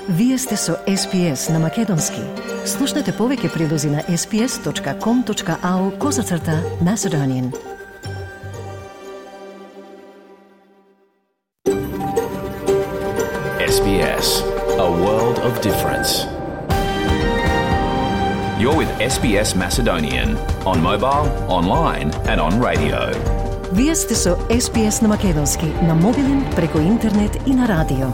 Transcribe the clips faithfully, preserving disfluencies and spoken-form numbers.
Вие сте со Ес Би Ес на Македонски. Слушнете повеќе прилози на ес би ес точка ком точка ау козацрта Macedonian. Ес Би Ес, a world of difference. You're with Ес Би Ес Macedonian on mobile, online and on radio. Вие сте со Ес Би Ес на Македонски, на мобилен, преку интернет и на радио.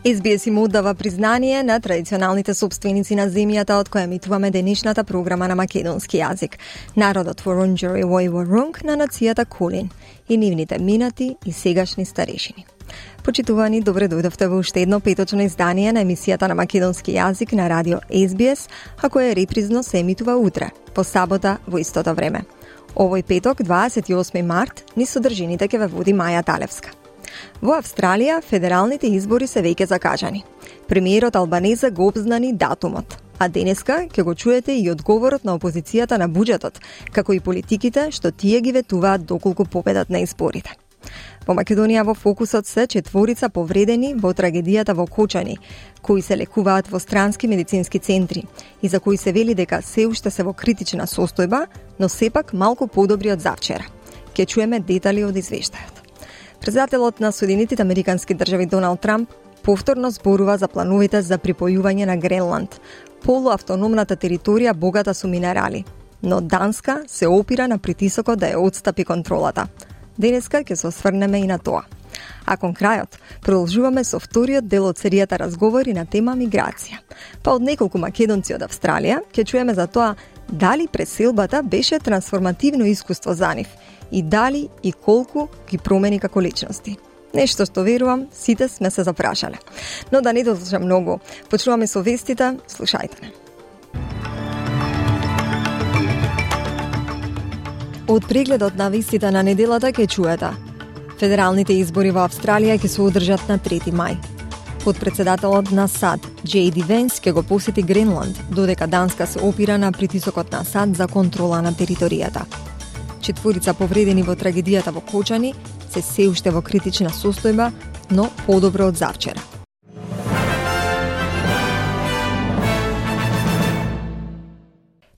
Ес Би Ес им оддава признание на традиционалните собственици на земјата од која емитуваме денешната програма на македонски јазик. Народот Вурундџери Вој Вурунг на нацијата Кулин и нивните минати и сегашни старешини. Почитувани, добре дојдовте во уште едно петочно издание на емисијата на македонски јазик на радио Ес Би Ес, а која репризно се емитува утре, по сабота во истото време. Овој петок, дваесет и осми март, низ содржините ќе ве води Маја Талевска. Во Австралија, федералните избори се веќе закажани. Премиерот Албанезе го обзнани датумот, а денеска ќе го чуете и одговорот на опозицијата на буџетот, како и политиките што тие ги ветуваат доколку победат на изборите. Во Македонија во фокусот се четворица повредени во трагедијата во Кочани, кои се лекуваат во странски медицински центри и за кои се вели дека се уште се во критична состојба, но сепак малку подобри од завчера. Ќе чуеме детали од извештајот. Председателот на Соединетите Американски држави Доналд Трамп повторно зборува за плановите за припојување на Гренланд, полуавтономната територија богата со минерали, но Данска се опира на притисокот да ја отстапи контролата. Денеска ќе се осврнеме и на тоа. А кон крајот, продолжуваме со вториот дел од серијата разговори на тема миграција. Па од неколку македонци од Австралија ќе чуеме за тоа дали преселбата беше трансформативно искуство за нив и дали и колку ги промени како личности. Нешто што верувам, сите сме се запрашале. Но да не дослушам многу, почнуваме со вестите, слушајте не. Од прегледот на вестите на неделата ќе чуете. Федералните избори во Австралија ќе се одржат на трети мај. Подпредседателот на САД, Джей Ди Венс, ќе го посети Гренланд, додека Данска се опира на притисокот на САД за контрола на територијата. Четворица повредени во трагедијата во Кочани се се уште во критична состојба, но подобро од завчера.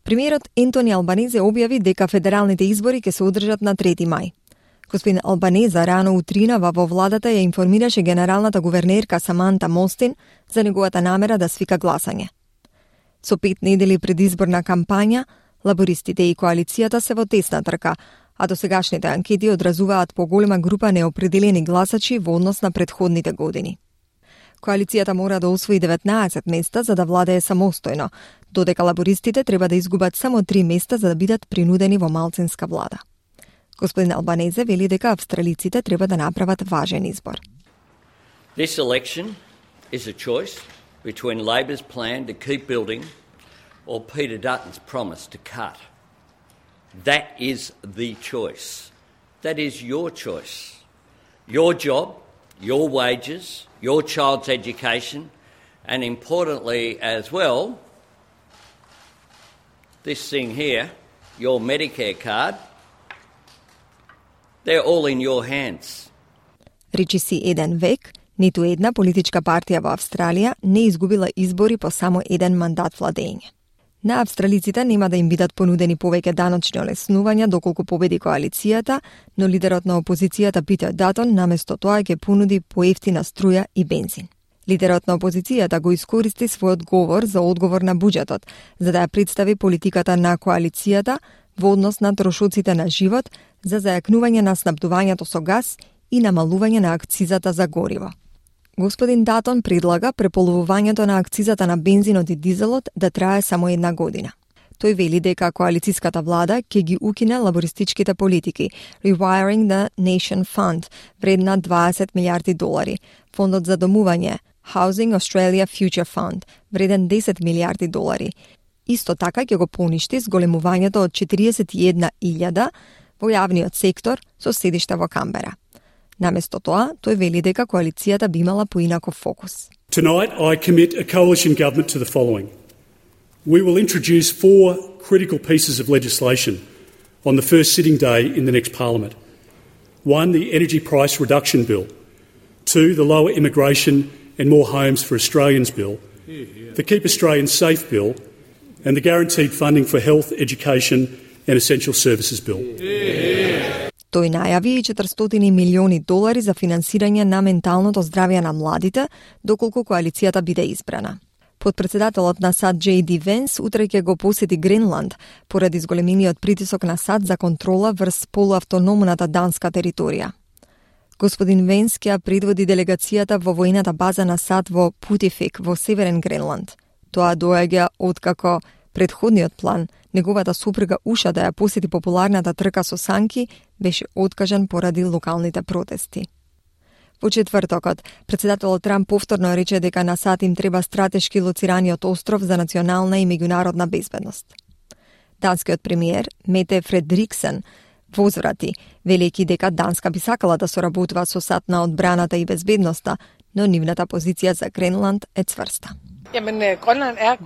Премиерот Ентони Албанезе објави дека федералните избори ќе се одржат на трети мај. Господин Албанезе рано утринава во владата ја информираше генералната гувернерка Саманта Мостин за неговата намера да свика гласање. Со пет недели предизборна кампања, лабористите и коалицијата се во тесна трка, а досегашните анкети одразуваат поголема група неопределени гласачи во однос на претходните години. Коалицијата мора да освои деветнаесет места за да владее самостојно, додека лабористите треба да изгубат само три места за да бидат принудени во малцинска влада. Господин Албанезе вели дека австралиците треба да направат важен избор. This election is a choice between Labor's plan to keep building or Peter Dutton's promise to cut. That is the choice. That is your choice. Your job, your wages, your child's education, and importantly as well, this thing here, your Medicare card, they're all in your hands. Речи си еден век, ниту една политичка партија во Австралија не изгубила избори по само еден мандат владење. На австралиците нема да им бидат понудени повеќе даночни олеснувања доколку победи коалицијата, но лидерот на опозицијата Питер Датон наместо тоа ќе понуди поевтина струја и бензин. Лидерот на опозицијата го искористи својот говор за одговор на буџетот, за да ја представи политиката на коалицијата во однос на трошоците на живот за зајакнување на снабдувањето со газ и намалување на акцизата за гориво. Господин Датон предлага преполовувањето на акцизата на бензинот и дизелот да трае само една година. Тој вели дека коалициската влада ќе ги укине лабористичките политики, Rewiring the Nation Fund, вредна дваесет милијарди долари, фондот за домување, Housing Australia Future Fund, вреден десет милијарди долари. Исто така ќе го поништи зголемувањето од четириесет и една илјада во јавниот сектор со седиште во Камбера. Наместо тоа, тој вели дека коалицијата би имала поинаков фокус. Tonight I commit a coalition government to the following. We will introduce four critical pieces of legislation on the first sitting day in the next parliament. One, the Energy Price Reduction Bill, Two, the Lower Immigration and More Homes for Australians bill, the Keep Australians Safe bill, and the Guaranteed Funding for Health, Education and Essential Services bill. Тој најави и четиристотини милиони долари за финансирање на менталното здравје на младите, доколку коалицијата биде избрана. Подпредседателот на САД Джей Ди Венс утре ќе го посети Гренланд поради зголемениот притисок на САД за контрола врз полуавтономната данска територија. Господин Венс ќе предводи делегацијата во војната база на САД во Путифик во Северен Гренланд. Тоа доаѓа откако предходниот план, неговата супруга Уша да ја посети популарната трка со санки, беше откажан поради локалните протести. Во четвртокот, председателот Трамп повторно рече дека на САД им треба стратешки лоцираниот остров за национална и меѓународна безбедност. Данскиот премиер Мете Фредриксен возврати, велики дека Данска би сакала да соработува со САД на одбраната и безбедноста, но нивната позиција за Гренланд е цврста.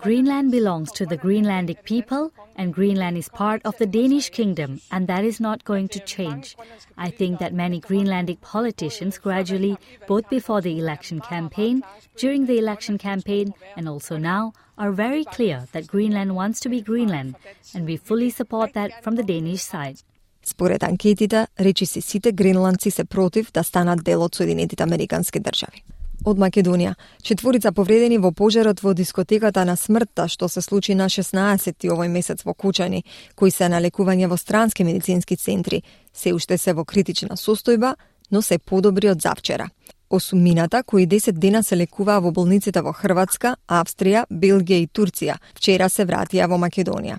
Greenland belongs to the Greenlandic people, and Greenland is part of the Danish kingdom, and that is not going to change. I think that many Greenlandic politicians gradually, both before the election campaign, during the election campaign, and also now, are very clear that Greenland wants to be Greenland, and we fully support that from the Danish side. Според анкетите, речиси сите гренландци се против да станат дел од Соединетите Американски држави. Од Македонија, четворица повредени во пожарот во дискотеката на смртта што се случи на шеснаесети овој месец во Кучани, кои се на лекување во странски медицински центри, се уште се во критична состојба, но се подобри од завчера. Осумината, кои десет дена се лекуваа во болниците во Хрватска, Австрија, Белгија и Турција, вчера се вратија во Македонија.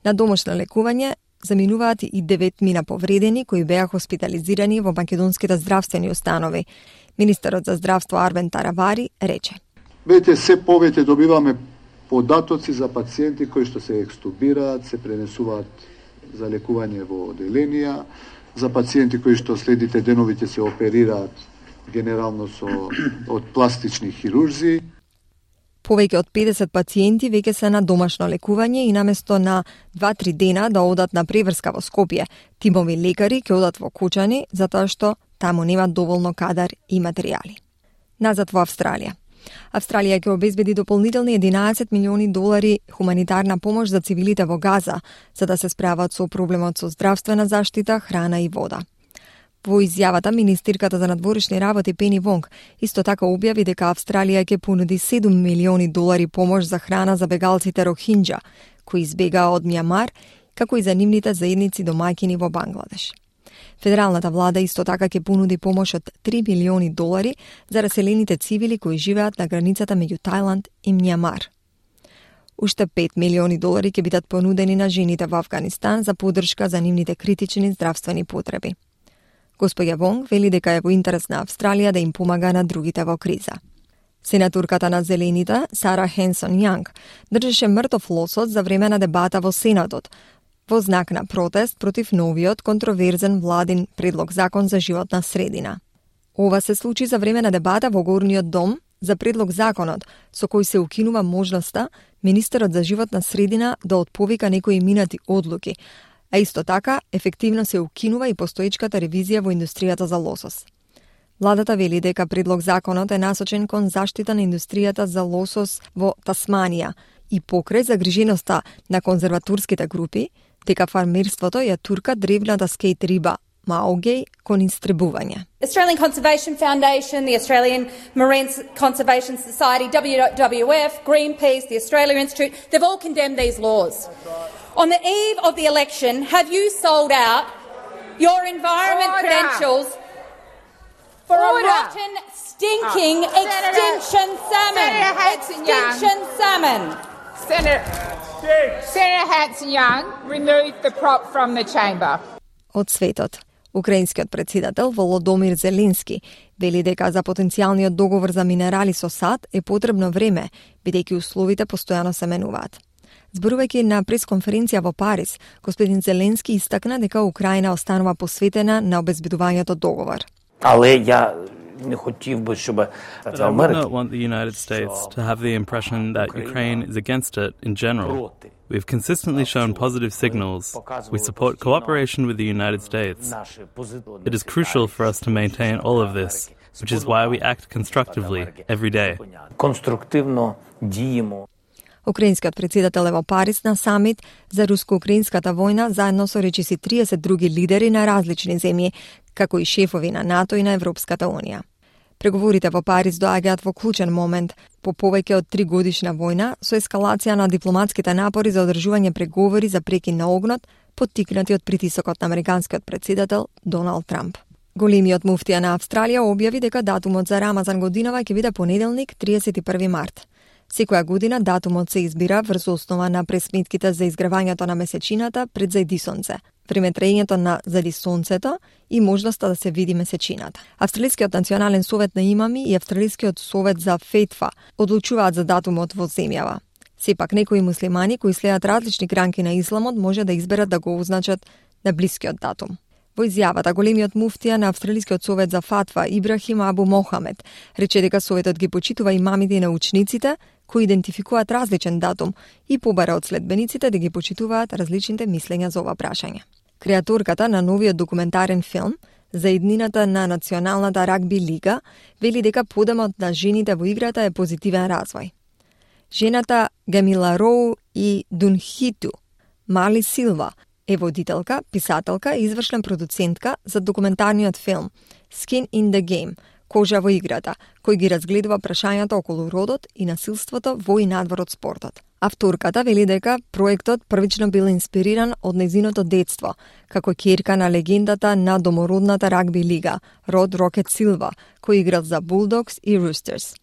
На домашно лекување заминуваат и девет мина повредени кои беа хоспитализирани во македонските здравствени установи. Министерот за здравство Арвен Таравари рече: Вете, се повеќе добиваме податоци за пациенти кои што се екстубираат, се пренесуваат за лекување во оделенија, за пациенти кои што следите деновите се оперираат генерално со од пластични хирурзи. Повеќе од педесет пациенти веќе се на домашно лекување и наместо на два-три дена да одат на преврска во Скопје, тимови лекари ќе одат во Кучани затоа што таму нема доволно кадар и материјали. Назад во Австралија. Австралија ќе обезбеди дополнителни единаесет милиони долари хуманитарна помош за цивилите во Газа, за да се справат со проблемот со здравствена заштита, храна и вода. Во изјавата, министерката за надворешни работи Пени Вонг исто така објави дека Австралија ќе понуди седум милиони долари помош за храна за бегалците Рохинџа, кои избегаа од Мјанмар, како и за нивните заедници домаќини во Бангладеш. Федералната влада исто така ќе понуди помош од три милиони долари за раселените цивили кои живеат на границата меѓу Тајланд и Мјанмар. Уште пет милиони долари ќе бидат понудени на жените во Авганистан за поддршка за нивните критични здравствени потреби. Господја Вонг вели дека е во интерес на Австралија да им помага на другите во криза. Сенаторката на Зелените, Сара Хенсон Јанг, држеше мртов лосот за време на дебата во Сенатот, во знак на протест против новиот контроверзен владин предлог закон за животна средина. Ова се случи за време на дебата во Горниот дом за предлог законот со кој се укинува можноста министерот за животна средина да отповика некои минати одлуки, а исто така ефективно се укинува и постоечката ревизија во индустријата за лосос. Владата вели дека предлог законот е насочен кон заштита на индустријата за лосос во Тасманија и покрај загриженоста на конзерваторските групи, дека фармерството ја турка древната скејт риба маогеј кон истребување. Australian Conservation Foundation, the Australian Marine Conservation Society, W W F, Greenpeace, the Australia Institute, they've all condemned these laws. On the eve of the election, have you sold out your environment Order. credentials for Order. a rotten, stinking oh. extinction Senator, salmon? Senator extinction salmon. Senator, Senator Hanson-Young, remove the prop from the chamber. Од светот. Украинскиот председател Володомир Зеленски вели дека за потенцијалниот договор за минерали со САД е потребно време, бидејќи условите постојано се менуваат. Зборувајќи на пресконференција во Париз, господин Зеленски истакна дека Украина останува посветена на обезбедувањето договор. Але ја не хотів би, щоб But I would not want the United States to have the impression that Ukraine is against it in general. We've consistently shown positive signals. We support cooperation with the United States. It is crucial for us to maintain all of this, which is why we act constructively every day. Конструктивно діємо. Украинскиот председател е во Париз на самит за руско-украинската војна заедно со речиси триесет други лидери на различни земји, како и шефови на НАТО и на Европската Унија. Преговорите во Париз доаѓаат во клучен момент, по повеќе од три годишна војна, со ескалација на дипломатските напори за одржување преговори за прекин на огнот, поттикнати од притисокот на американскиот председател Доналд Трамп. Големиот муфтија на Австралија објави дека датумот за Рамазан годинава ќе биде понеделник, триесет и први март. Секоја година датумот се избира врз основа на пресметките за изгревањето на месечината пред зајди сонце, времетраењето на зајди сонцето и можноста да се види месечината. Австралискиот национален совет на имами и Австралискиот совет за фетва одлучуваат за датумот во земјава. Сепак некои муслимани кои следат различни гранки на исламот може да изберат да го означат на блискиот датум. Во изјавата, големиот муфтија на Австралискиот совет за фатва Ибрахим Абу Мохамед рече дека советот ги почитува имамите и научниците кои идентификуваат различен датум и побара од следбениците да ги почитуваат различните мислења за ова прашање. Креаторката на новиот документарен филм за иднината на Националната рагби лига вели дека подемот на жените во играта е позитивен развој. Жената Гамила Роу и Дунхиту Мали Силва е водителка, писателка и извршна продуцентка за документарниот филм Skin in the Game, Кожа во играта, кој ги разгледува прашањата околу родот и насилството во и надвор од спортот. Авторката вели дека проектот првично бил инспириран од нејзиното детство, како ќерка на легендата на домородната рагби лига, Род Рокет Силва, кој играл за Bulldogs и Roosters.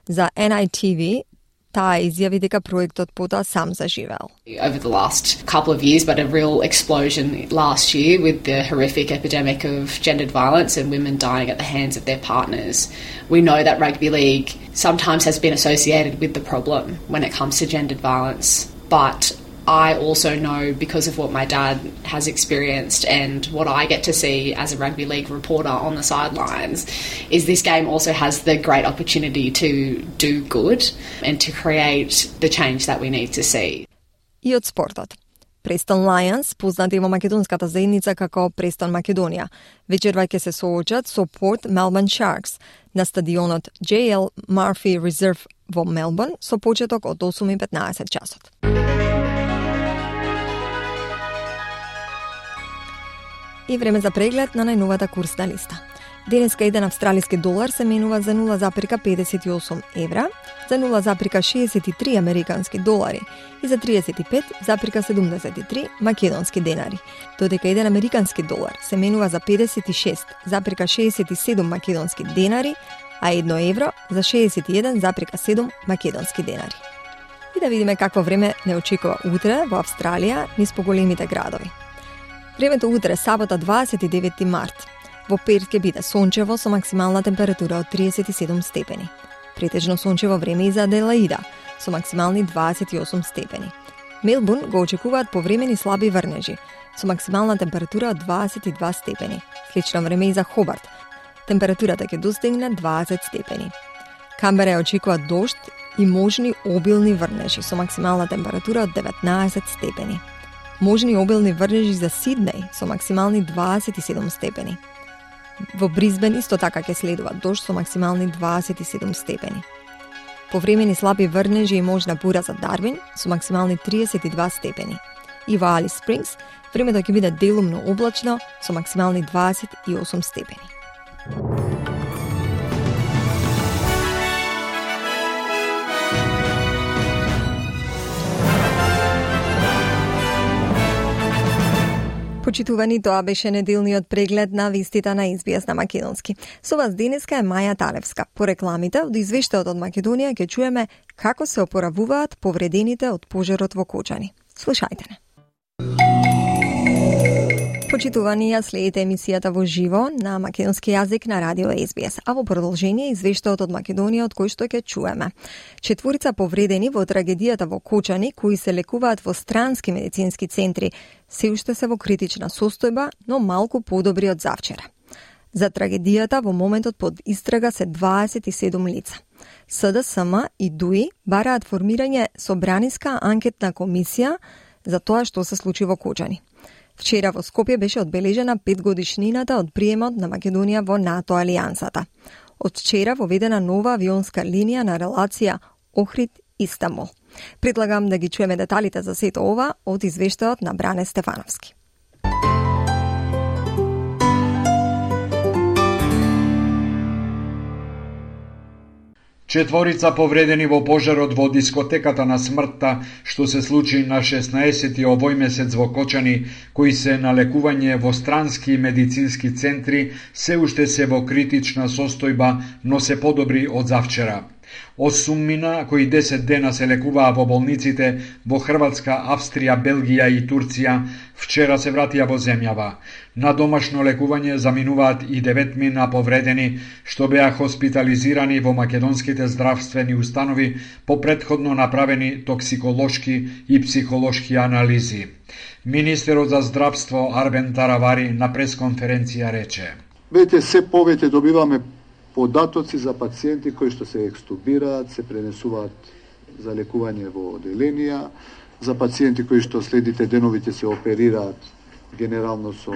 За Ен Ай Ти Ви, таа изјави дека проектот потоа сам заживел. Over the last couple of years, but a real explosion last year with the horrific epidemic of gendered violence and women dying at the hands of their partners. We know that rugby league sometimes has been associated with the problem when it comes to gendered violence, but I also know, because of what my dad has experienced and what I get to see as a rugby league reporter on the sidelines, is this game also has the great opportunity to do good and to create the change that we need to see. И од спортот. Престон Лајонс, познати во македонската заедница како Престон Македонија, вечерва ќе се соочат со Порт Мелбурн Шаркс на стадионот Џеј Ел Марфи Резерв во Мелбурн со почеток од осум и петнаесет часот. И време за преглед на најновата курсна листа. Денеска еден австралиски долар се менува за нула запирка педесет и осум евра, за нула запирка шеесет и три американски долари и за тридесет и пет запирка седумдесет и три македонски денари, додека еден американски долар се менува за педесет и шест запирка шеесет и седум македонски денари, а едно евро за шеесет и еден запирка седум македонски денари. И да видиме какво време не очекува утре во Австралија низ поголемите градови. Времето утре, сабота дваесет и девети март. Во Перт ќе биде сончево со максимална температура од тридесет и седум степени. Претежно сончево време и за Аделаида со максимални дваесет и осум степени. Мелбурн го очекуваат повремени слаби врнежи со максимална температура од дваесет и два степени. Слично време и за Хобарт. Температурата ќе достигне дваесет степени. Камбера ја очекува дожд и можни обилни врнежи со максимална температура од деветнаесет степени. Можни обилни врнежи за Сиднеј со максимални дваесет и седум степени. Во Бризбен исто така ќе следува дожд со максимални дваесет и седум степени. Повремени слаби врнежи и можна бура за Дарвин со максимални тридесет и два степени. И во Алис Спрингс времето ќе биде делумно облачно со максимални дваесет и осум степени. Почитувани, тоа беше неделниот преглед на вестите на Ес Би Ес на македонски. Со вас денеска е Маја Талевска. По рекламите од извештајот од Македонија ќе чуеме како се опоравуваат повредените од пожарот во Кочани. Слушајте не. Почитувани, ја следите емисијата во живо на македонски јазик на радио Ес Би Ес, а во продолжение извештајот од Македонија од кој што ќе чуеме. Четворица повредени во трагедијата во Кочани, кои се лекуваат во странски медицински центри, се уште се во критична состојба, но малку подобри од завчера. За трагедијата во моментот под истрага се дваесет и седум лица. С Д С М и ДУИ бараат формирање собраниска анкетна комисија за тоа што се случи во Кочани. Вчера во Скопје беше одбележена петгодишнината од приемот на Македонија во НАТО алијансата. Од вчера воведена нова авионска линија на релација Охрид-Истанбул. Предлагам да ги чуеме деталите за сето ова од извештајот на Бране Стефановски. Четворица повредени во пожарот во дискотеката на смртта, што се случи на шеснаесети овој месец во Кочани, кои се на лекување во странски медицински центри, се уште се во критична состојба, но се подобри од завчера. Осуммина, кои десет дена се лекуваа во болниците во Хрватска, Австрија, Белгија и Турција, вчера се вратија во земјава. На домашно лекување заминуваат и деветмина повредени, што беа хоспитализирани во македонските здравствени установи по претходно направени токсиколошки и психолошки анализи. Министерот за здравство Арбен Таравари на пресконференција рече: Вете, се повеќе добиваме податоци за пациенти кои што се екстубираат, се пренесуваат за лекување во оделенија, за пациенти кои што следите деновите се оперираат генерално со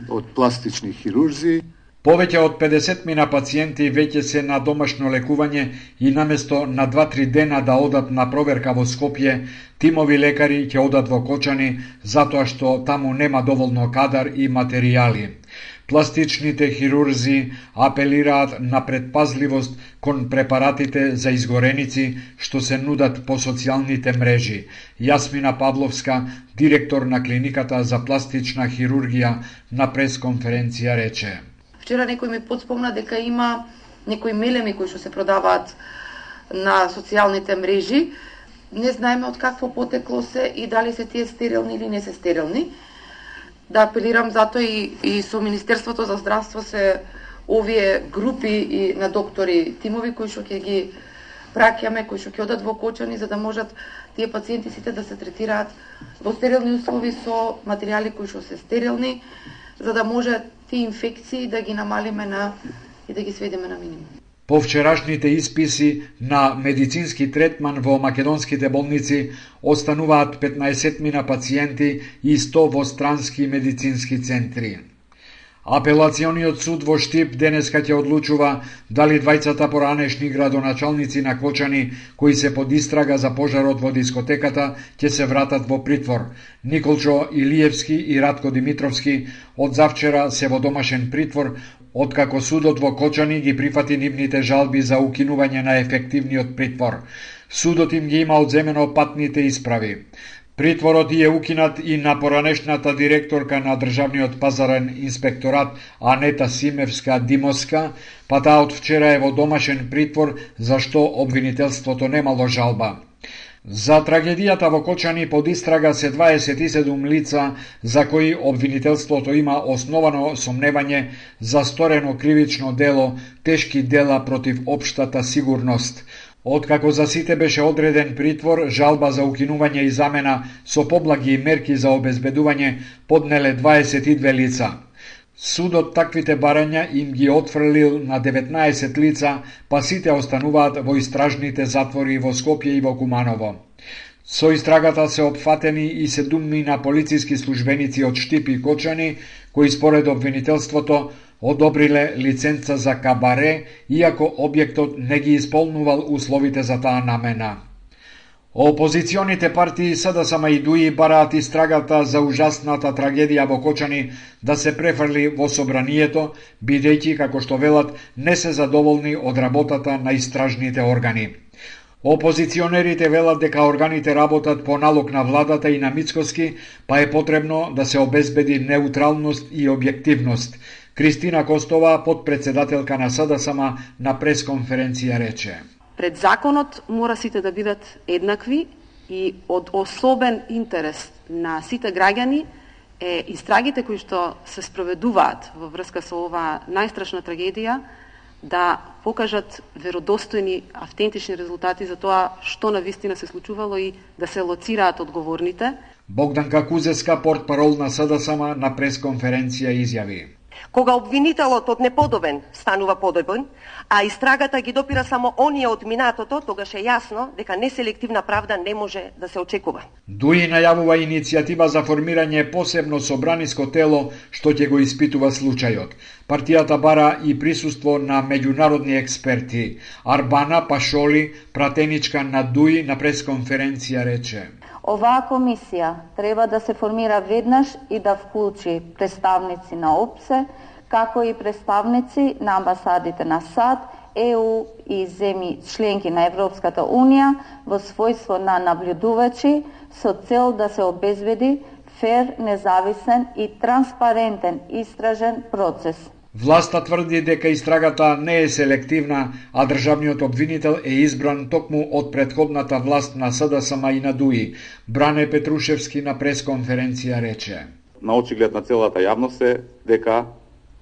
од пластични хирурзи. Повеќе од педесет мина пациенти веќе се на домашно лекување и наместо на два-три дена да одат на проверка во Скопје, тимови лекари ќе одат во Кочани затоа што таму нема доволно кадар и материјали. Пластичните хирурзи апелираат на предпазливост кон препаратите за изгореници што се нудат по социјалните мрежи. Јасмина Павловска, директор на клиниката за пластична хирургија, на пресконференција рече: Вчера некој ми подспомна дека има некои мелеми кои што се продаваат на социјалните мрежи. Не знаеме од какво потекло се и дали се тие стерилни или не се стерилни. Да апелирам затоа и, и со Министерството за здравство се овие групи и на доктори, тимови кои што ќе ги праќаме, кои што ќе одат во Кочани, за да можат тие пациенти сите да се третираат во стерилни услови со материјали кои што се стерилни, за да може тие инфекции да ги намалиме на и да ги сведеме на минимум. По вчерашните исписи на медицински третман во македонските болници остануваат петнаесет мина пациенти и сто во странски медицински центри. Апелациониот суд во Штип денеска ќе одлучува дали двајцата поранешни градоначалници на Кочани, кои се под истрага за пожарот во дискотеката, ќе се вратат во притвор. Николчо Илиевски и Радко Димитровски од завчера се во домашен притвор, откако судот во Кочани ги прифати нивните жалби за укинување на ефективниот притвор. Судот им ги има одземено патните исправи. Притворот е укинат и на поранешната директорка на Државниот пазарен инспекторат Анета Симевска Димоска, па таа од вчера е во домашен притвор, зашто обвинителството немало жалба. За трагедијата во Кочани под истрага се дваесет и седум лица за кои обвинителството има основано сомневање за сторено кривично дело, тешки дела против општата сигурност. Откако за сите беше одреден притвор, жалба за укинување и замена со поблаги мерки за обезбедување поднеле дваесет и две лица. Судот таквите барања им ги отфрлил на деветнаесет лица, па сите остануваат во истражните затвори во Скопје и во Куманово. Со истрагата се опфатени и седуммина полициски службеници од Штип и Кочани, кои според обвинителството одобриле лиценца за кабаре, иако објектот не ги исполнувал условите за таа намена. Опозиционите партии СДСМ и ДУИ бараат истрагата за ужасната трагедија во Кочани да се префрли во собранието, бидејќи, како што велат, не се задоволни од работата на истражните органи. Опозиционерите велат дека органите работат по налог на владата и на Мицкоски, па е потребно да се обезбеди неутралност и објективност. Кристина Костова, подпредседателка на СДСМ, на пресконференција рече: Пред законот мора сите да бидат еднакви и од особен интерес на сите граѓани е истрагите кои што се спроведуваат во врска со оваа најстрашна трагедија да покажат веродостојни, автентични резултати за тоа што навистина се случувало и да се лоцираат одговорните. Богданка Кузеска, портпарол на СДСМ, на пресконференција изјави: Кога обвинителот од неподобен станува подобен, а истрагата ги допира само оние од минатото, тогаш е јасно дека неселективна правда не може да се очекува. Дуи најавува иницијатива за формирање посебно собраниско тело што ќе го испитува случајот. Партијата бара и присуство на меѓународни експерти. Арбана Пашоли, пратеничка на Дуи, на пресконференција рече: Оваа комисија треба да се формира веднаш и да вклучи представници на ОПСЕ, како и представници на амбасадите на САД, ЕУ и земји членки на Европската Унија во својство на наблюдувачи со цел да се обезбеди фер, независен и транспарентен истражен процес. Власта тврди дека истрагата не е селективна, а државниот обвинител е избран токму од претходната власт на СДСМ и на Дуи. Бране Петрушевски на пресконференција рече: На очиглед на целата јавност е дека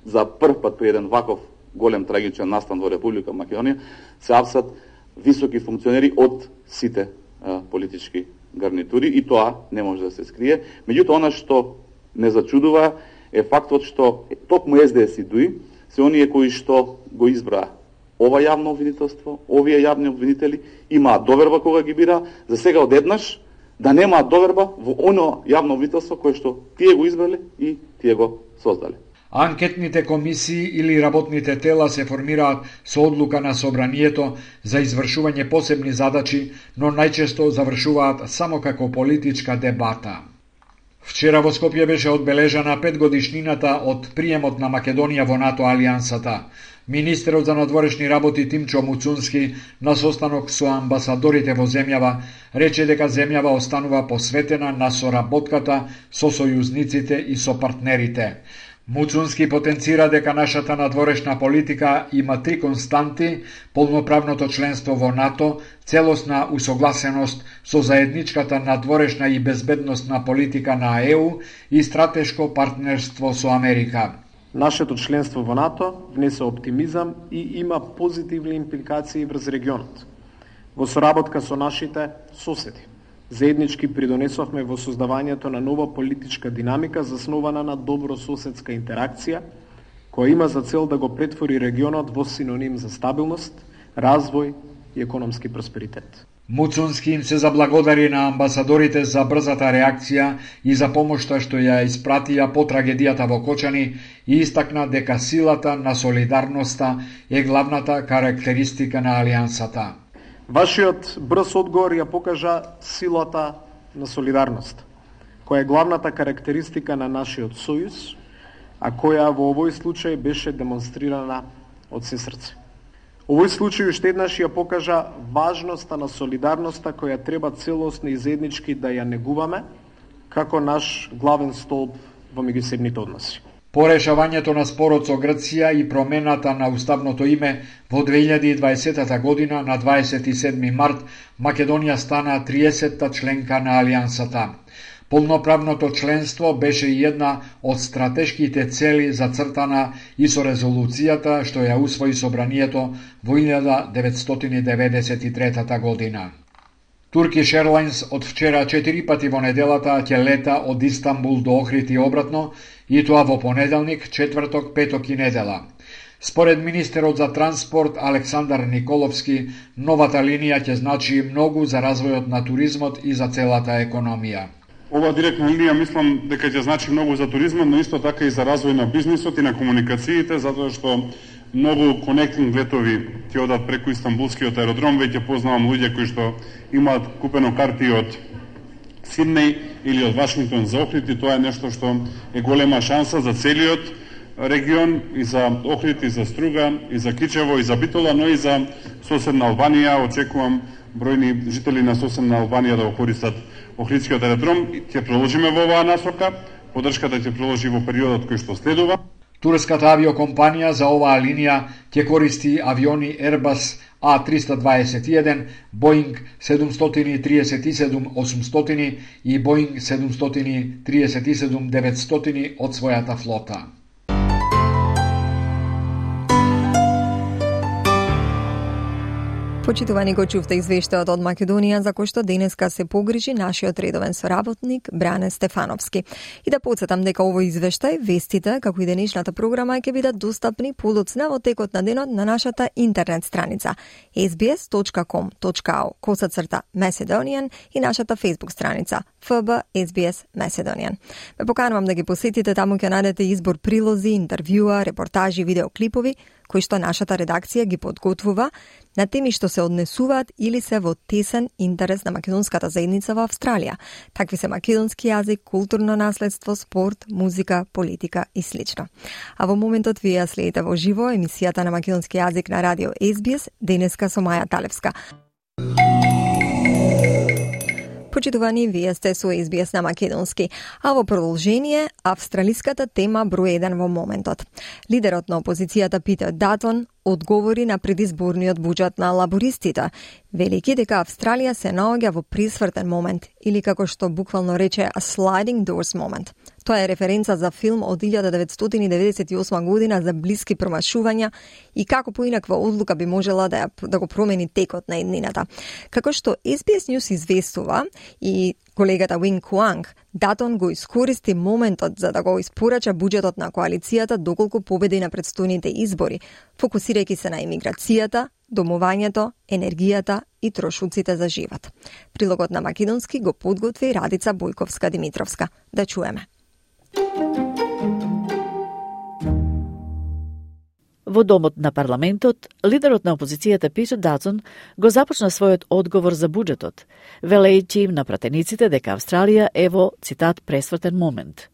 за прв пат при еден ваков голем трагичен настан во Република Македонија се апсат високи функционери од сите а, политички гарнитури и тоа не може да се скрие. Меѓутоа, она што не зачудува е фактот што токму СДС и Дуи се оние кои што го избра ова јавно обвинителство, овие јавни обвинители имаат доверба кога ги бира, за сега одеднаш да немаат доверба во оно јавно обвинителство кое што тие го избрале и тие го создале. Анкетните комисии или работните тела се формираат со одлука на собранието за извршување посебни задачи, но најчесто завршуваат само како политичка дебата. Вчера во Скопје беше одбележана петгодишнината од приемот на Македонија во НАТО алијансата. Министерот за надворешни работи Тимчо Муцунски на состанок со амбасадорите во земјава рече дека земјава останува посветена на соработката со сојузниците и со партнерите. Муцунски потенцира дека нашата надворешна политика има три константи: полноправното членство во НАТО, целосна усогласеност со заедничката надворешна и безбедносна политика на ЕУ и стратешко партнерство со Америка. Нашето членство во НАТО внесе оптимизам и има позитивни импликации врз регионот. Во соработка со нашите соседи, заеднички придонесовме во создавањето на нова политичка динамика заснована на добрососедска интеракција, која има за цел да го претвори регионот во синоним за стабилност, развој и економски просперитет. Муцунски им се заблагодари на амбасадорите за брзата реакција и за помошта што ја испратија по трагедијата во Кочани и истакна дека силата на солидарноста е главната карактеристика на алијансата. Вашиот брз одговор ја покажа силата на солидарност, која е главната карактеристика на нашиот сојуз, а која во овој случај беше демонстрирана од се срце. Овој случај уште еднаш ја покажа важноста на солидарноста која треба целосно и заеднички да ја негуваме како наш главен столб во меѓусебните односи. По решавањето на спорот со Грција и промената на уставното име во две илјади и дваесета година на дваесет и седми март Македонија стана триесетта членка на алијансата. Полноправното членство беше и една од стратешките цели зацртана и со резолуцијата што ја усвои собранието во илјада деветстотини деветдесет и трета година. Turkish Airlines од вчера четири пати во неделата ќе лета од Истанбул до Охрид и обратно, и тоа во понеделник, четврток, петок и недела. Според министерот за транспорт Александар Николовски, новата линија ќе значи многу за развојот на туризмот и за целата економија. Ова директна линија мислам дека ќе значи многу за туризмот, но исто така и за развој на бизнисот и на комуникациите, затоа што многу конектинг летови ќе одат преку Истанбулскиот аеродром. Веќе познавам луѓе кои што имаат купено карти од Сиднеј или од Вашингтон за Охрид, и тоа е нешто што е голема шанса за целиот регион, и за Охрид, и за Струга, и за Кичево, и за Битола, но и за соседна Албанија. Очекувам бројни жители на соседна Албанија да го користат Охридскиот аеродром. Ќе продолжиме во оваа насока, подршката ќе продолжи во периодот кој што следува. Турската авиокомпанија за оваа линија ќе користи авиони Airbus А триста дваесет и еден, Boeing седумстотини триесет и седум осумстотини и Boeing седумстотини триесет и седум деветстотини од својата флота. Почитувани, го чувте извештајот од Македонија за кој што денеска се погрижи нашиот редовен соработник Бране Стефановски. И да подсетам дека овој извештај, вестите, како и денешната програма ќе бидат достапни подоцна во текот на денот на нашата интернет страница ес би ес точка ком точка ау косацрта Macedonian и нашата Facebook страница еф би ес би ес Macedonian. Ме поканувам да ги посетите, таму ќе најдете избор прилози, интервјуа, репортажи, видеоклипови кои што нашата редакција ги подготвува на теми што се однесуваат или се во тесен интерес на македонската заедница во Австралија. Такви се македонски јазик, културно наследство, спорт, музика, политика и слично. А во моментот вие ја следите во живо емисијата на македонски јазик на радио ес би ес, денеска со Маја Талевска. Почитувани, вие сте со ес би ес на македонски, а во продолжение австралиската тема број еден во моментот. Лидерот на опозицијата Питер Датон одговори на предизборниот буџет на лабористите, велики дека Австралија се наоѓа во пресвртен момент, или како што буквално рече a sliding doors moment. Тоа е референца за филм од илјада деветстотини деветдесет и осма година за блиски промашувања и како поинаква одлука би можела да, ја, да го промени текот на еднината. Како што ес би ес News известува и колегата Wing Kuang, Датон го искористи моментот за да го испорача буџетот на коалицијата доколку победи на предстојните избори, фокусирајќи се на имиграцијата, домувањето, енергијата и трошоците за живот. Прилогот на македонски го подготви Радица Бојковска-Димитровска. Да чуеме. Во домот на парламентот, лидерот на опозицијата Питер Датон го започна својот одговор за буџетот, велејќи им на пратениците дека Австралија е во, цитат, пресвртен момент.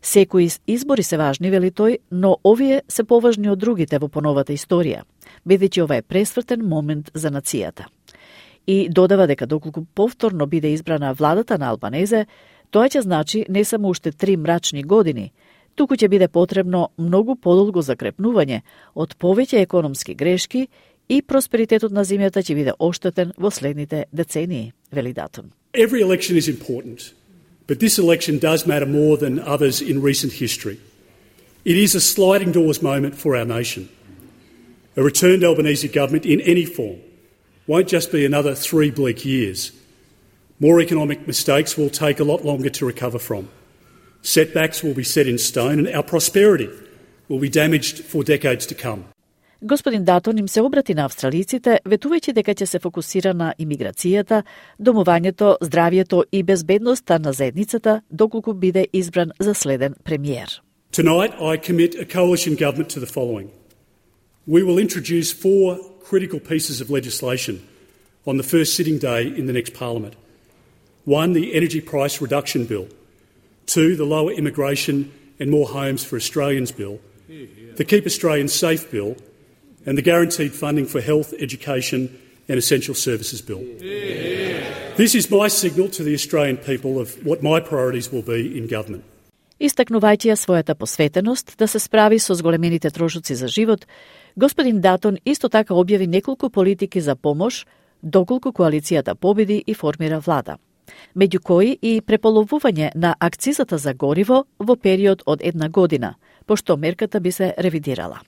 Секои избори се важни, вели тој, но овие се поважни од другите во поновата историја, бидејќи ова е пресвртен момент за нацијата. И додава дека доколку повторно биде избрана владата на Албанезе, тоа ќе значи не само уште три мрачни години, туку ќе биде потребно многу подолго закрепнување од повеќе економски грешки и просперитетот на земјата ќе биде оштетен во следните децении, вели Датон. Every election is important, but this election does matter more than others in recent history. It is a sliding doors moment for our nation. A returned Albanese government in any form won't just be another three bleak years. More economic mistakes will take a lot longer to recover from. Setbacks will be set in stone and our prosperity will be damaged for decades to come. Господин Датон им се обрати на австралиците, ветувајќи дека ќе се фокусира на имиграцијата, домувањето, здравјето и безбедноста на заедницата, доколку биде избран за следен премиер. Tonight I commit a coalition government to the following. We will introduce four critical pieces of legislation on the first sitting day in the next parliament. One, the Energy Price Reduction Bill. Two, the Lower Immigration and More Homes for Australians Bill. The Keep Australians Safe Bill. And the Guaranteed Funding for Health, Education and Essential Services Bill. This is my signal to the Australian people of what my priorities will be in government. Истакнувајќи ја својата посветеност да се справи со зголемените трошоци за живот, господин Датон исто така објави неколку политики за помош, доколку коалицијата победи и формира влада, меѓу кои и преполовување на акцизата за гориво во период од една година, пошто мерката би се ревидирала.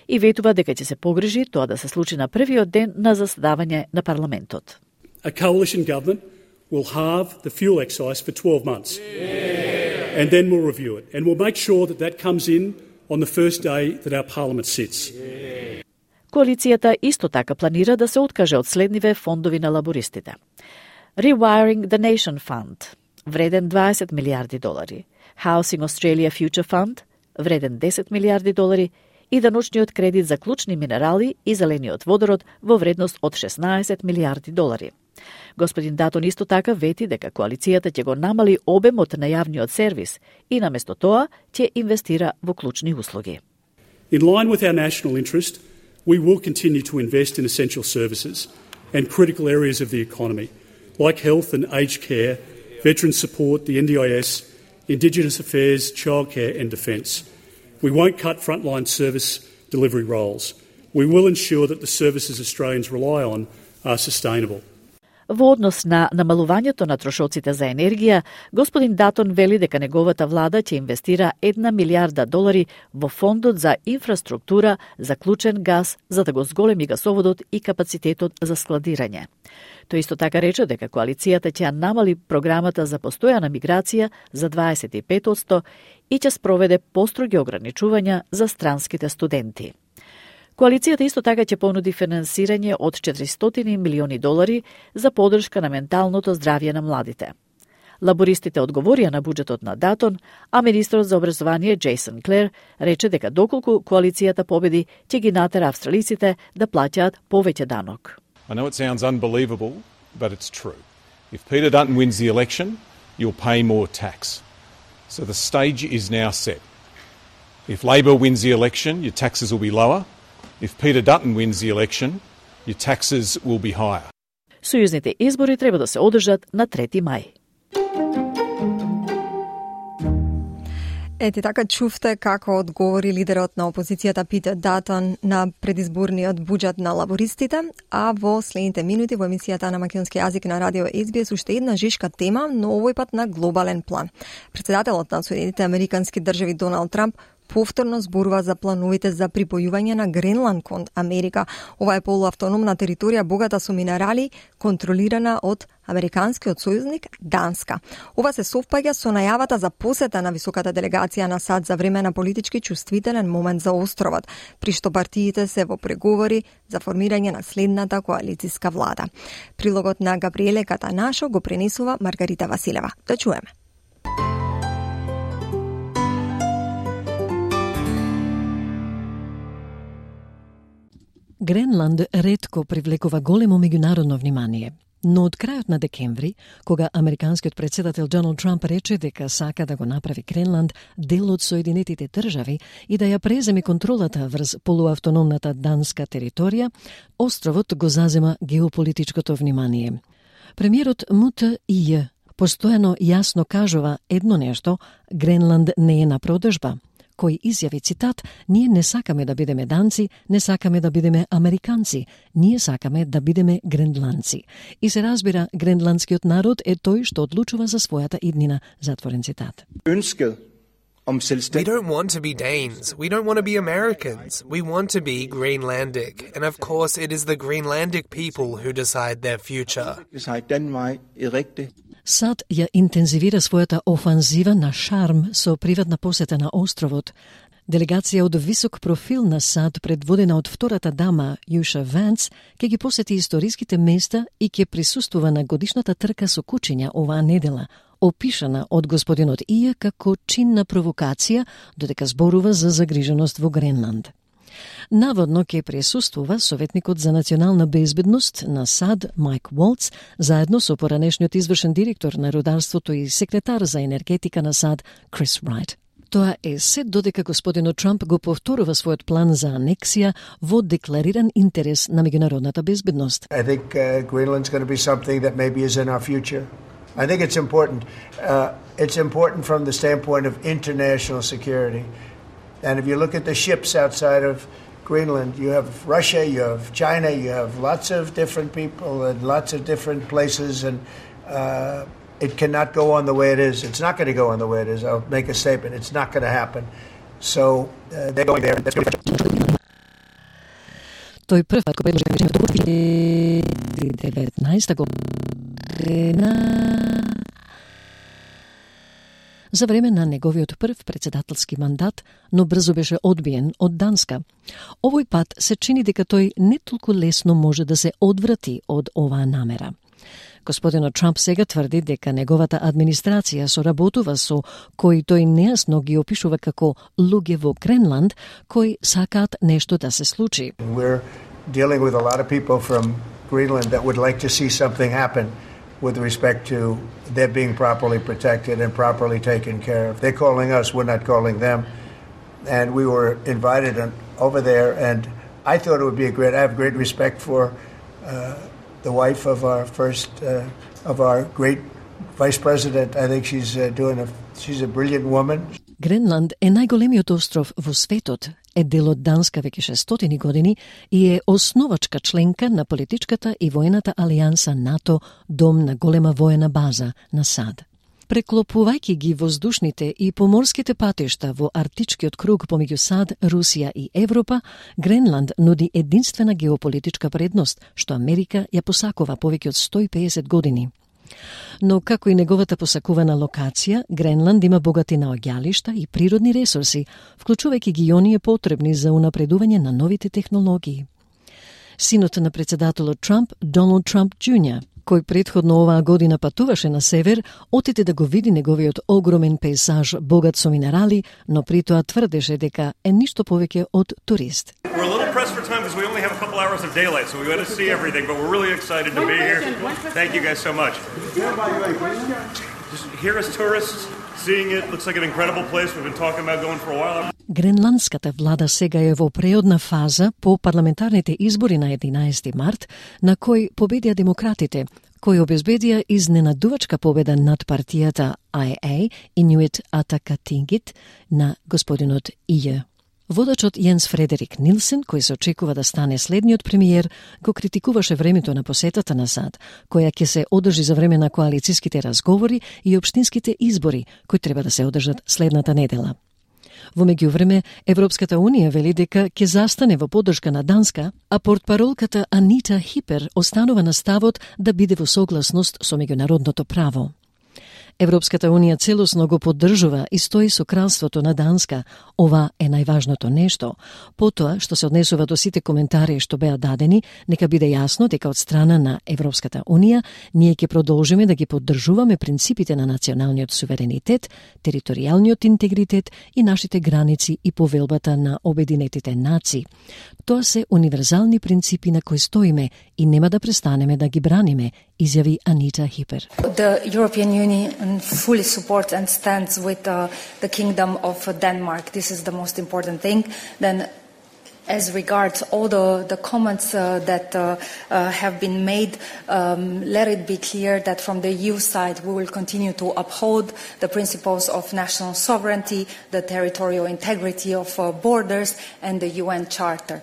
И ветува дека ќе се погрижи тоа да се случи на првиот ден на заседавање на парламентот. A coalition government will halve the fuel excise for twelve months. Yeah. And then we'll review it. And we'll make sure that that comes in on the first day that our parliament sits. Yeah. Коалицијата исто така планира да се откаже од следниве фондови на лабористите. Rewiring the Nation Fund, вреден дваесет милиарди долари. Housing Australia Future Fund, вреден десет милиарди долари, и даночниот кредит за клучни минерали и зелениот водород во вредност од шеснаесет милиарди долари. Господин Датон исто така вети дека коалицијата ќе го намали обемот на јавниот сервис и наместо тоа ќе инвестира во клучни услуги. In line with our national interest, we will continue to invest in essential services and critical areas of the economy, like health and aged care, veteran support, the N D I S, Indigenous Affairs, childcare and defence. We won't cut frontline service delivery roles. We will ensure that the services Australians rely on are sustainable. Во однос на намалувањето на трошоците за енергија, господин Датон вели дека неговата влада ќе инвестира една милиарда долари во фондот за инфраструктура за клучен газ за да го зголеми гасоводот и капацитетот за складирање. Тој исто така рече дека коалицијата ќе намали програмата за постојана миграција за дваесет и пет одсто и ќе спроведе построги ограничувања за странските студенти. Коалицијата исто така ќе понуди финансирање од четиристотини милиони долари за поддршка на менталното здравје на младите. Лабористите одговорија на буџетот на Датон, а министрот за образование Джейсон Клер рече дека доколку коалицијата победи, ќе ги натера австралиците да плаќаат повеќе данок. I know it sounds unbelievable, but it's true. If Peter Dutton wins the election, you'll pay more tax. So the stage is now set. If Labor wins the election, your taxes will be lower. If Peter Dutton wins the election, your taxes will be higher. Сојузните избори треба да се одржат на трети мај. Ети така чувте како одговори лидерот на опозицијата Питер Датон на предизборниот буџет на лабористите, а во следните минути во емисијата на македонски јазик на радио Ес Би Ес уште една жишка тема, но овој пат на глобален план. Председателот на Соединетите Американски држави Доналд Трамп повторно зборува за плановите за припојување на Гренланд кон Америка. Ова е полуавтономна територија богата со минерали, контролирана од американскиот сојузник Данска. Ова се совпаѓа со најавата за посета на високата делегација на САД за време на политички чувствителен момент за островот, при што партиите се во преговори за формирање на следната коалициска влада. Прилогот на Габриеле Катанашо го пренесува Маргарита Василева. Да чуеме. Гренланд ретко привлекува големо меѓународно внимание, но од крајот на декември, кога американскиот председател Доналд Трамп рече дека сака да го направи Гренланд дел од Соединетите држави и да ја преземе контролата врз полуавтономната данска територија, островот го зазема геополитичкото внимание. Премиерот Му Те И постојано јасно кажува едно нешто: Гренланд не е на продажба, кој изјави цитат: "Ние не сакаме да бидеме данци, не сакаме да бидеме американци, ние сакаме да бидеме гренландци." И се разбира, гренландскиот народ е тој што одлучува за својата иднина, затворен цитат. We don't want to be Danes. We don't want to be Americans. We want to be Greenlandic. And of course, it is the Greenlandic people who decide their future. САД ја интензивира својата офанзива на шарм со приватна посета на островот. Делегација од висок профил на САД, предводена од втората дама Јуша Ванс, ќе ги посети историските места и ќе присуствува на годишната трка со кучиња оваа недела, опишана од господинот Ија како чинна провокација, додека зборува за загриженост во Гренланд. Наводно ќе присуствува советникот за национална безбедност на САД Майк Волц, заедно со поранешниот извршен директор на рударството и секретар за енергетика на САД Крис Райт. Тоа е се додека господинот Трамп го повторува својот план за анексија во деклариран интерес на меѓународната безбедност. I think uh, Greenland's going to be something that maybe is in our future. I think it's important. Uh, it's important from the standpoint of international security. And if you look at the ships outside of Greenland, you have Russia, you have China, you have lots of different people and lots of different places, and uh, it cannot go on the way it is. It's not going to go on the way it is. I'll make a statement. It's not going to happen. So uh, they're going there. That's going to be Тој прв пат го предложи во две илјади и деветнаесета година за време на неговиот прв председателски мандат, но брзо беше одбиен од Данска. Овој пат се чини дека тој не толку лесно може да се одврати од оваа намера. Господинот Трамп сега тврди дека неговата администрација соработува со кои тој нејасно ги опишува како луѓе во Гренланд, кои сакаат нешто да се случи. We're dealing with a lot of people from Greenland that would like to see something happen with respect to their being properly protected and properly taken care of. They're calling us, we're not calling them. And we were invited over there, and I thought it would be a great, I have great respect for uh, the wife of our first, uh, of our great vice president. I think she's uh, doing a, she's a brilliant woman. Гренланд е најголемиот остров во светот, е дел од Данска веќе шестстотини години и е основачка членка на политичката и воената алијанса НАТО, дом на голема воена база на САД. Преклопувајќи ги воздушните и поморските патишта во Арктичкиот круг помеѓу САД, Русија и Европа, Гренланд нуди единствена геополитичка предност, што Америка ја посакува повеќе од сто и педесет години. Но како и неговата посакувана локација, Гренланд има богати наоѓалишта и природни ресурси, вклучувајќи ги оние потребни за унапредување на новите технологии. Синот на председателот Трамп, Доналд Трамп Џуниор, кој претходно оваа година патуваше на север, отиде да го види неговиот огромен пейзаж богат со минерали, но при тоа тврдеше дека е ништо повеќе од турист. We're a little pressed for time because we only have a couple hours of daylight, so we want to see everything, but we're really excited to be here. Thank you guys so much. Just here as tourists, seeing it, looks like an incredible place. We've been talking about going for a while. Гренландската влада сега е во преодна фаза по парламентарните избори на единаесети март, на кој победија демократите, кои обезбедија изненадувачка победа над партијата I A, Inuit Ataqatigiit, на господинот Ија. Водачот Јенс Фредерик Нилсен, кој се очекува да стане следниот премиер, го критикуваше времето на посетата на САД, која ќе се одржи за време на коалицијските разговори и општинските избори, кои треба да се одржат следната недела. Во меѓувреме, Европската Унија вели дека ќе застане во поддршка на Данска, а портпаролката Анита Хипер останува на ставот да биде во согласност со меѓународното право. Европската Унија целосно го поддржува и стои со кралството на Данска. Ова е најважното нешто. Потоа, што се однесува до сите коментари што беа дадени, нека биде јасно дека од страна на Европската Унија ние ќе продолжиме да ги поддржуваме принципите на националниот суверенитет, територијалниот интегритет и нашите граници и повелбата на Обединетите нации. Тоа се универзални принципи на кои стоиме и нема да престанеме да ги браниме, изјави Анита Хипер. The European Union fully supports and stands with uh, the Kingdom of Denmark. This is the most important thing. Then, as regards all the, the comments uh, that uh, uh, have been made, um, let it be clear that from the E U side we will continue to uphold the principles of national sovereignty, the territorial integrity of uh, borders, and the U N Charter.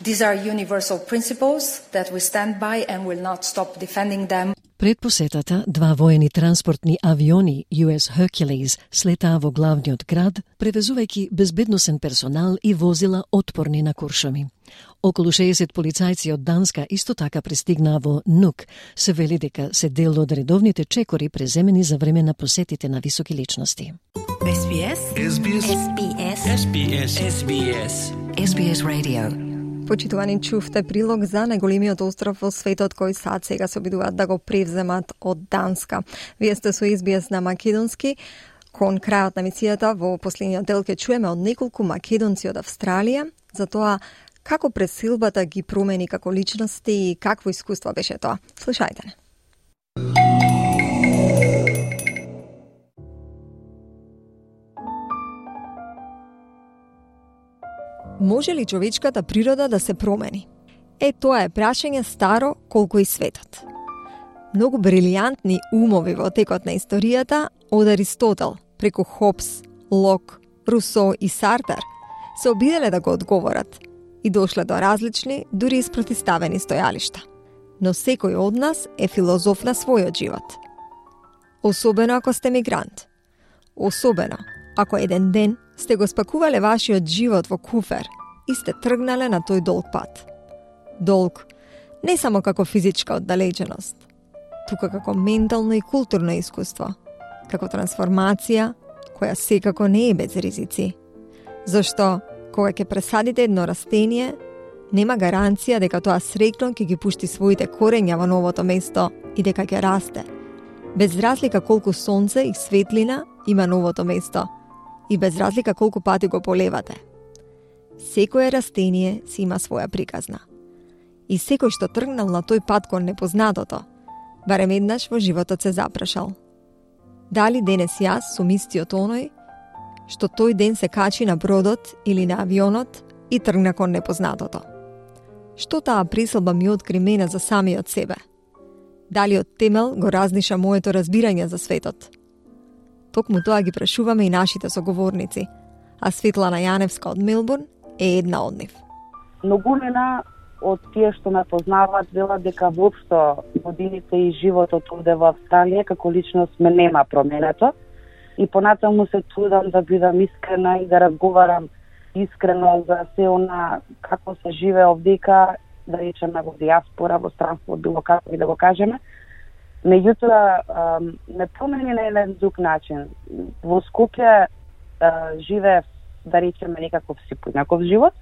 These are universal principles that we stand by and will not stop defending them. Пред посетата, два воени транспортни авиони Ю Ес Hercules слетаа во главниот град, превезувајќи безбедносен персонал и возила отпорни на куршуми. Околу шеесет полицајци од Данска исто така пристигнаа во Нук. Се вели дека се дел од редовните чекори преземени за време на посетите на високи личности. Ес Би Ес Ес Би Ес Ес Би Ес Ес Би Ес Ес Би Ес Radio. Почитувани, чувте прилог за најголемиот остров во светот кој САД сега се обидуваат да го превземат од Данска. Вие сте со Ес Би Ес на македонски. Кон крајот на емисијата во последниот дел ќе чуеме од неколку македонци од Австралија за тоа како пресилбата ги промени како личности и какво искуство беше тоа. Слушајте. Може ли човечката природа да се промени? Е, тоа е прашање старо колку и светот. Многу брилијантни умови во текот на историјата, од Аристотел, преку Хобс, Лок, Русо и Сартер, се обиделе да го одговорат и дошле до различни, дури испротиставени стојалишта. Но секој од нас е филозоф на својот живот. Особено ако сте мигрант. Особено ако еден ден сте го спакувале вашиот живот во куфер и сте тргнале на тој долг пат. Долг не само како физичка оддалеченост, тука како ментално и културно искуство, како трансформација која секако не е без ризици. Зашто, кога ќе пресадите едно растение, нема гаранција дека тоа срекно ќе ги пушти своите корења во новото место и дека ќе расте. Без разлика колку сонце и светлина има новото место и без разлика колку пати го полевате. Секое растение си има своја приказна. И секој што тргнал на тој пат кон непознатото, барем еднаш во животот се запрашал. Дали денес јас сум истиот оној што тој ден се качи на бродот или на авионот и тргна кон непознатото? Што таа присилба ми откри мене за самиот себе? Дали од темел го разниша моето разбирање за светот? Токму тоа ги прашуваме и нашите соговорници, а Светлана Јаневска од Мелбурн е една од нив. Многумина од тие што ме познаваат велат дека воопшто годините и животот овде во Австралија како личност ме нема променето и понатаму се трудам да бидам искрена и да разговарам искрено за се она како се живее овдека, да речеме во диаспора, во странство, било како и да го кажеме. Меѓутоа, ме промени на еден друг начин. Во Скопје живеев, да речеме, некаков си поинаков живот.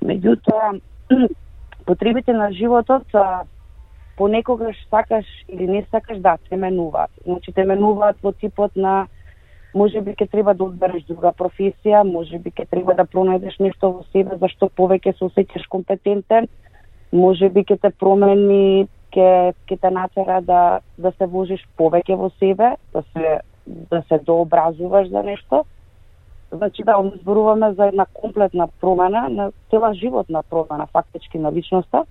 Меѓутоа, потребите на животот понекогаш сакаш или не сакаш да те менуваат. Значи те менуваат во типот на можеби ќе треба да одбереш друга професија, можеби ќе треба да пронајдеш нешто во себе за што повеќе се осеќаш компетентен, можеби ќе те промени, ќе ќе те натера да да се вложиш повеќе во себе, да се да се дообразуваш за нешто. Значи да зборуваме за една комплетна промена, на цела животна промена фактички на личноста.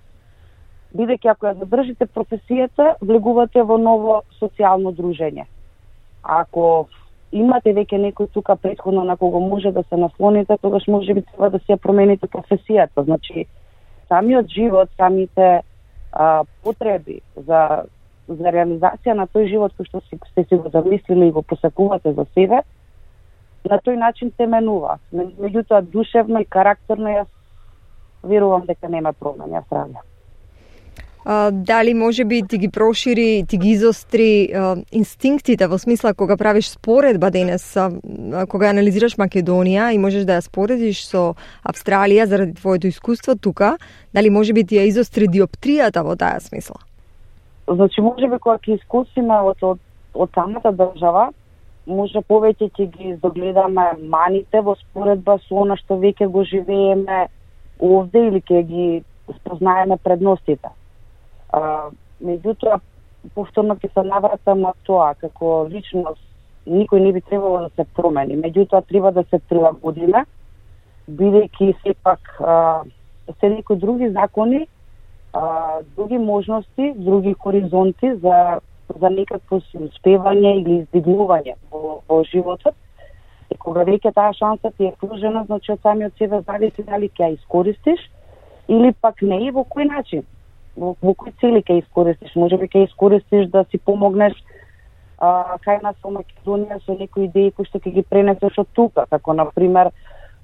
Бидејќи ако ја задржите професијата, влегувате во ново социјално дружење. Ако имате веќе некој тука претходно на кого може да се наслоните, тогаш може би треба да се промените професијата. Значи, самиот живот, самите а, потреби за, за реализација на тој живот кој што си, сте си го замислили и го посекувате за себе, на тој начин се менува. Меѓутоа, душевно и карактерно јас верувам дека нема промени Австралија. Uh, дали може би ти ги прошири, ти ги изостри uh, инстинктите во смисла кога правиш споредба денес, uh, кога анализираш Македонија и можеш да ја споредиш со Австралија заради твоето искуство тука, дали може би ти ја изостри диоптријата во таа смисла? Значи, може би кога ќе искусиме од, од, од самата држава, може повеќе ќе ги загледаме маните во споредба со она што веќе го живееме овде или ќе ги спознаеме предностите. Uh, меѓутоа, повторно ќе се навратам на тоа, како личност никој не би требало да се промени, меѓутоа треба да се прилагодиме, бидејќи сепак uh, се некои други закони, uh, други можности, други хоризонти за, за некакво си успевање или издигнување во, во животот. И кога веќе таа шанса ти е пруžена, значи од самиот себе зависи дали ќе ја искористиш или пак не и во кој начин. Во, во кои цели ќе искористиш? Може би ќе искористиш да си помогнеш а, кај нас во Македонија со некои идеи кои што ќе ги пренесеш од тука, како например,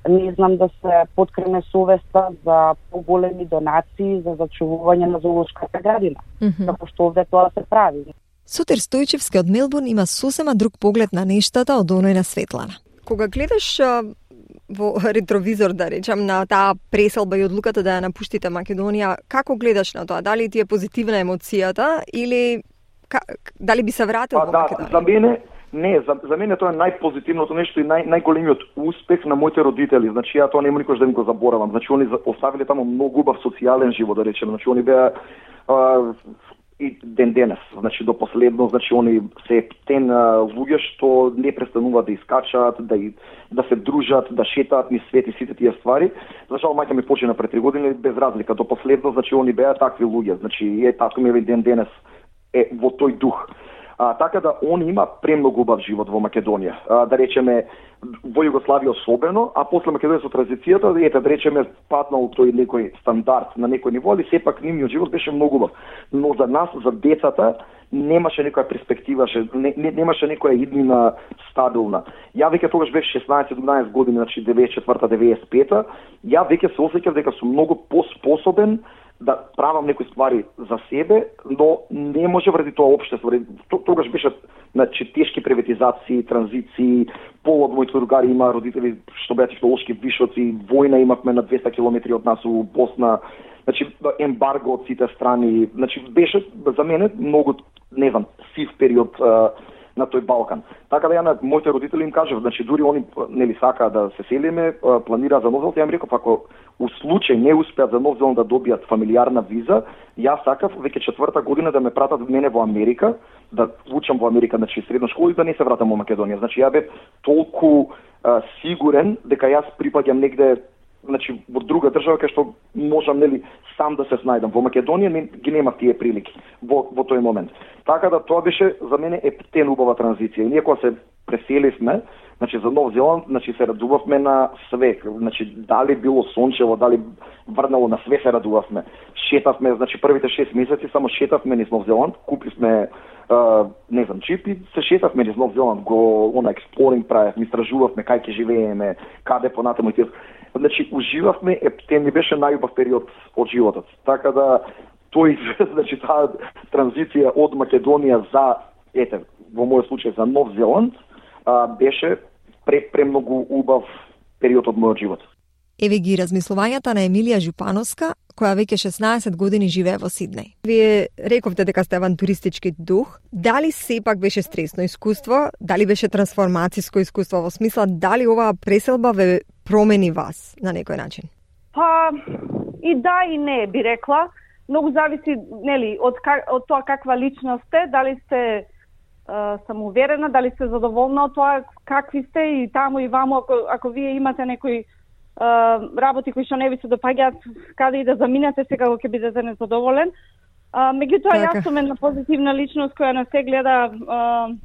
не знам, да се поткрене совеста за поголеми донации за зачувување на зоолошката градина, mm-hmm. како што овде тоа се прави. Сотир Стојчевски од Мелбурн има сосема друг поглед на нештата од оној на Светлана. Кога гледаш во ретровизор, да речам, на таа преселба и одлуката да ја напуштите Македонија, како гледаш на тоа? Дали ти е позитивна емоцијата или ка, дали би се вратил па, во да, Македонија? За мене не, за, за мене тоа е најпозитивното нешто и нај, најголемиот успех на моите родители. Значи ја тоа нема никош да им го заборавам. Значи они оставиле таму многу убав социјален живот, да речем. Значи они беа а, и ден денес, значи до последно, значи они се птен луѓе што не престануваат да искачаат, да и, да се дружат, да шетаат низ свет и сите тие ствари. За жал мајка ми почина пред три години без разлика, до последно, значи они беа такви луѓе, значи е татко ми е ден денес е во тој дух. А, така да он има премногу убав живот во Македонија. А, да речеме во Југославија особено, а после Македонија со транзицијата, ете да речеме патнал тој некој стандард на некој ниво, али сепак нивниот живот беше многу убав. Но за нас, за децата, немаше некоја перспектива, не, не, немаше некоја иднина стабилна. Ја веќе тогаш бев шеснаесет-седумнаесет години, значи деветдесет и четврта деветдесет и пета, ја веќе се осеќав дека сум многу поспособен да правам некои ствари за себе, но не може вради тоа општество. Тогаш беше значи тешки приватизации, транзиции, пол од моите другари има родители што беа технолошки вишоци, војна имавме на двеста километри од нас у Босна, значи ембарго од сите страни, значи беше за мене многу, не знам, сив период а, на тој Балкан. Така да ја на моите родители им кажав, значи дури они нели сака да се селиме, планира за Нов Зеланд, ја им реков ако у случај не успеат за Нов Зеланд да добијат фамилиарна виза, јас сакав веќе четврта година да ме пратат мене во Америка, да учам во Америка, значи средна школа и да не се вратам во Македонија. Значи ја бев толку а, сигурен дека јас припаѓам негде значи во друга држава кај што можам нели сам да се снајдам. Во Македонија не, ги нема тие прилики во во тој момент. Така да тоа беше за мене ептен убава транзиција. И ние кога се преселивме, значи за Нов Зеланд, значи се радувавме на све. Значи дали било сончево, дали врнало, на све се радувавме. Шетавме, значи првите шест месеци само шетавме низ Нов Зеланд, купивме Uh, не знам, чип и се шетавме низ Нов Зеланд, го она експлоринг правевме, истражувавме кај ќе живееме, каде понатаму и тие. Значи уживавме, ептен ми беше најубав период од животот. Така да тој значи таа транзиција од Македонија за ете, во мојот случај за Нов Зеланд, а, беше пре, премногу убав период од мојот живот. Еве ги размислувањата на Емилија Жупановска, која веќе шеснаесет години живее во Сиднеј. Вие рековте дека сте авантуристички дух. Дали сепак беше стресно искуство? Дали беше трансформацијско искуство во смисла дали оваа преселба ве промени вас на некој начин? Па и да и не би рекла. Многу зависи нели од од тоа каква личност сте, дали сте Uh, самоуверена, дали сте задоволна од тоа какви сте и таму и ваму, ако, ако вие имате некои uh, работи кои што не ви се допаѓаат, каде и да заминете, секако ќе бидете незадоволен. Uh, меѓутоа, јас сум една позитивна личност која не се гледа uh,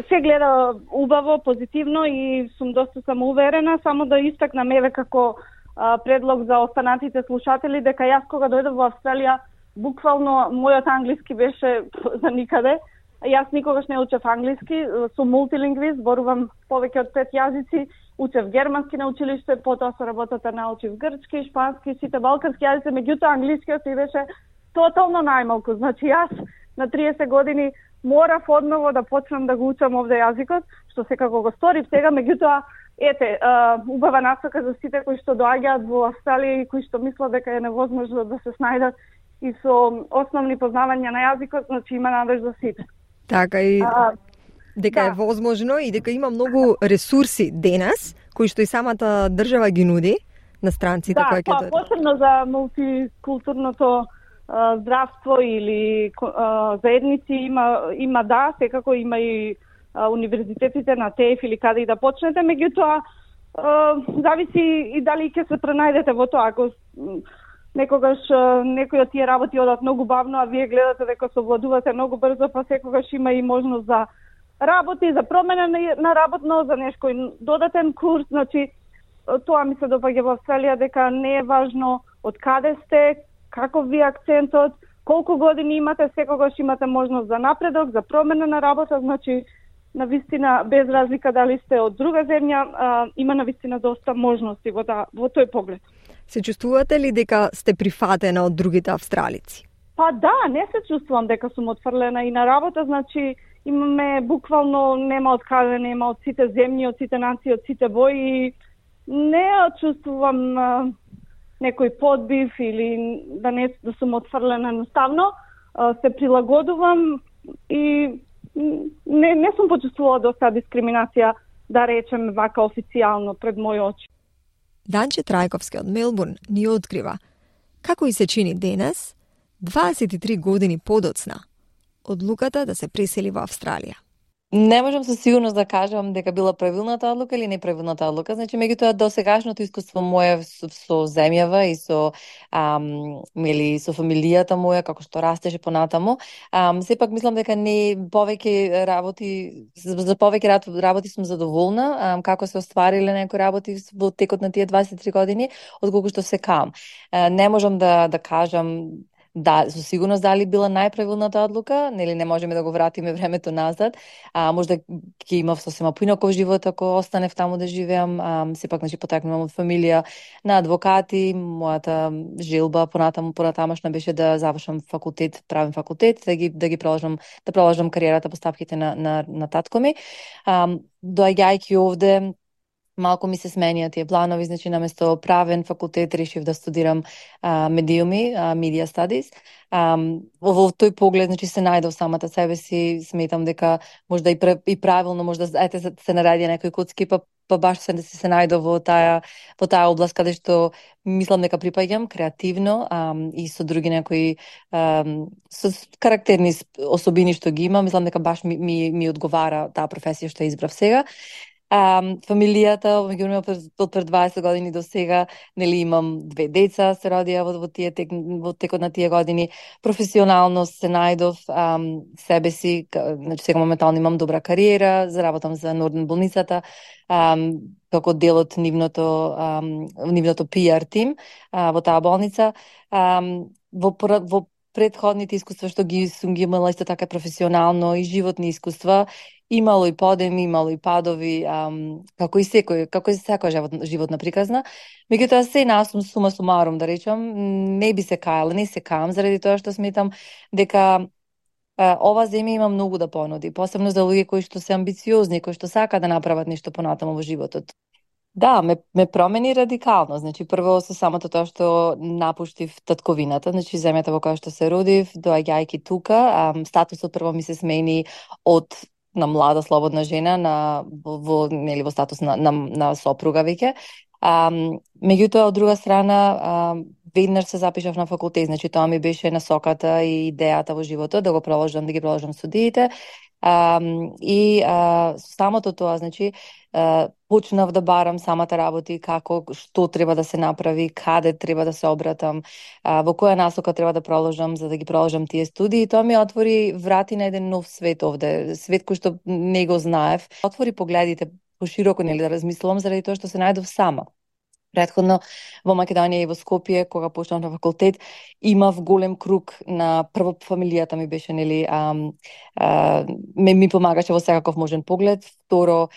се гледа убаво, позитивно и сум доста самоуверена, само да истакнам еве како uh, предлог за останатите слушатели, дека јас кога дојдов во Австралија, буквално мојот англиски беше за никаде. Јас никогаш не учев англиски, сум мултилингвист, зборувам повеќе од пет јазици, учев германски на училиште, потоа со работата научив грчки, шпански, сите балкански јазици, меѓутоа англискиот ми беше тотално најмалку. Значи јас на триесет години морав одново да почнам да го учам овде јазикот, што секако го сторив сега, меѓутоа ете, убава насока за сите кои што доаѓаат во Австралија и кои што мислат дека е невозможно да се снајдат и со основни познавања на јазикот, значи има надеж за сите. Така и а, дека да. е возможно и дека има многу ресурси денес кои што и самата држава ги нуди на странците да, кои ќе дојдат. Да, посебно за мултикултурното а, здравство или а, заедници има има да, секако има и а, универзитетите на ТЕФ или каде и да почнете, меѓутоа зависи и дали ќе се пренајдете во тоа. Ако некогаш некои од тие работи одат многу бавно, а вие гледате дека се овладувате многу брзо, па секогаш има и можност за работи, за промена на работно, за некој додатен курс. Значи, тоа ми се допаѓа во Австралија, дека не е важно од каде сте, каков ви акцентот, колку години имате, секогаш имате можност за напредок, за промена на работа. Значи, на вистина, без разлика дали сте од друга земја, а, има на вистина доста можности во, да, во тој поглед. Се чувствувате ли дека сте прифатена од другите австралици? Па да, не се чувствувам дека сум отфрлена и на работа, значи имаме буквално нема од каде, нема од сите земји, од сите нации, од сите бои. Не чувствувам а, некој подбив или да не да сум отфрлена едноставно. А, се прилагодувам и не, не сум почувствувала доста дискриминација, да речем вака официјално пред мој очи. Данче Трајковски од Мелбурн ни открива како и се чини денес, дваесет и три години подоцна, одлуката да се пресели во Австралија. Не можам со сигурност да кажам дека била правилната одлука или неправилната одлука. Значи, меѓутоа досегашното искуство моје со, со земјава и со ам, или со фамилијата моја како што растеше понатаму, ам, сепак мислам дека не повеќе работи за повеќе работи сум задоволна, ам, како се оствариле некои работи во текот на тие дваесет и три години, отколку што се кам. А, не можам да да кажам да, со сигурност дали била најправилната одлука, нели не можеме да го вратиме времето назад. А можда ќе имав сосема поинаков живот ако останев таму да живеам. А, сепак значи потекнувам од фамилија на адвокати, мојата желба понатаму понатамошна беше да завршам факултет, правен факултет, да ги да ги продолжам да продолжам кариерата по стапките на на на татко ми. А, доаѓајќи овде малку ми се сменија тие планови, значи наместо правен факултет решив да студирам а, медиуми, а, media studies. А, во, во тој поглед, значи се најдов самата себе си, сметам дека можда и, и правилно, можда ете се наради некои куцки, па па баш се да се најдов во таа во таа област каде што мислам дека припаѓам креативно а, и со други некои а, со карактерни особини што ги имам, мислам дека баш ми ми, ми одговара таа професија што избрав сега. Um, фамилијата, меѓу од пред дваесет години до сега, нели имам две деца, се родија во, во, тие, тек, во текот на тие години. Професионално се најдов um, себе си, значи сега моментално имам добра кариера, заработам за Норден болницата, um, како дел од нивното, um, нивното пи ар тим uh, во таа болница. Um, во, во предходните искуства што ги сум ги имала исто така професионално и животни искуства, имало и подеми, имало и падови, ам, како и секој, како и секоја живот, животна приказна. Меѓутоа се насум сума сумарум, да речам, не би се кајала, не се каам, заради тоа што сметам дека а, ова земја има многу да понуди, посебно за луѓе кои што се амбициозни, кои што сака да направат нешто понатаму во животот. Да, ме, ме промени радикално. Значи, прво со самото тоа што напуштив татковината, значи земјата во која што се родив, доаѓајќи тука, ам, статусот прво ми се смени од на млада слободна жена на во, во нели во статус на на, на сопруга веќе. Ам, меѓутоа од друга страна ам, веднаш се запишав на факултет, значи тоа ми беше насоката и идејата во животот да го продолжам, да ги продолжам студиите. Um, и uh, самото тоа, значи, uh, почнав да барам самата работи, како, што треба да се направи, каде треба да се обратам, uh, во која насока треба да продолжам за да ги продолжам тие студии. Тоа ми отвори врати на еден нов свет овде, свет кој што не го знаев. Отвори погледите пошироко, нели, да размислувам, заради тоа што се најдов сама. Предходно во Македонија и во Скопје, кога почнав на факултет, имав голем круг на прво фамилијата ми беше, нели, а, а, ме ми помагаше во секаков можен поглед. Второ,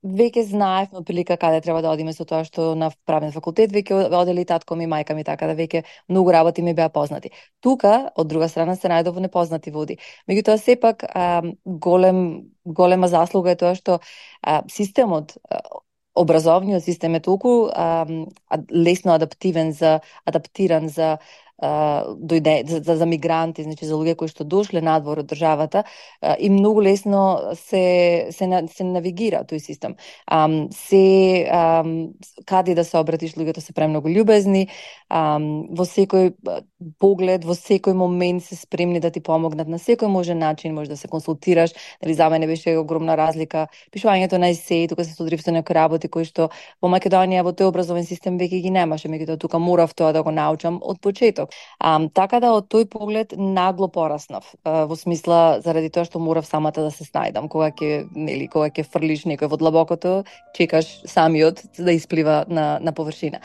веќе знаевме отприлика каде треба да одиме со тоа што на правен факултет, веќе одели татко ми, мајка ми, така да веќе многу работи ми беа познати. Тука, од друга страна, се најдов во непознати води. Меѓутоа, сепак, а, голем, голема заслуга е тоа што а, системот, образовниот систем е толку а, лесно адаптивен за адаптиран за а, дојде за, за мигранти, значи за луѓе кои што дошле надвор од државата а, и многу лесно се се се навигира тој систем. А, се а, каде да се обратиш, луѓето се премногу љубезни, а, во секој поглед, во секој момент се спремни да ти помогнат на секој можен начин, може да се консултираш. Дали за мене беше огромна разлика пишувањето на есеи, тука се содрив со некои работи кои што во Македонија во тој образовен систем веќе ги немаше, меѓутоа тука морав тоа да го научам од почеток. А, така да од тој поглед нагло пораснав, а, во смисла заради тоа што морав самата да се снајдам, кога ќе, нели, кога ќе фрлиш некој во длабокото, чекаш самиот да исплива на на површина.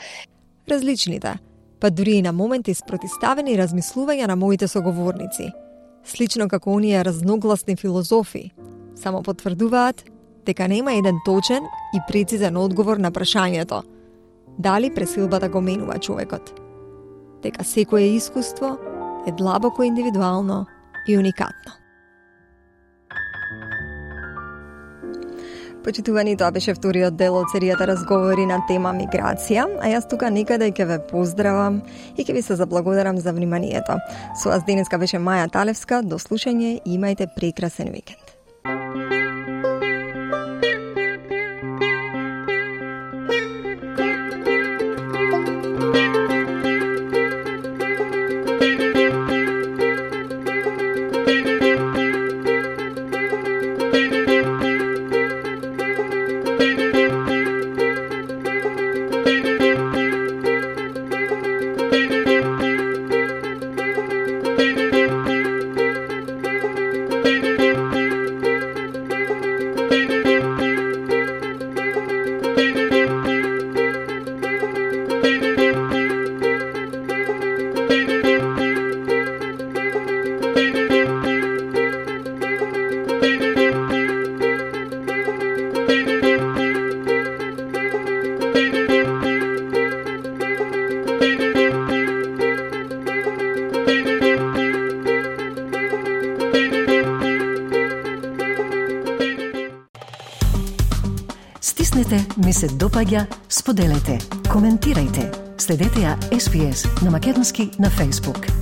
Различните, па дури и на моменти спротиставени размислувања на моите соговорници, слично како оние разногласни филозофи, само потврдуваат дека нема еден точен и прецизен одговор на прашањето дали пресилбата го менува човекот. Дека секое искуство е длабоко индивидуално и уникатно. Почитувани, тоа беше вториот дел од серијата разговори на тема миграција, а јас тука некаде ќе ве поздравам и ќе ви се заблагодарам за вниманието. Со вас денеска беше Маја Талевска, до слушање и имајте прекрасен викенд. Стиснете, ми се допаѓа, споделете, коментирајте. Следете ја Ес Би Ес на македонски на Facebook.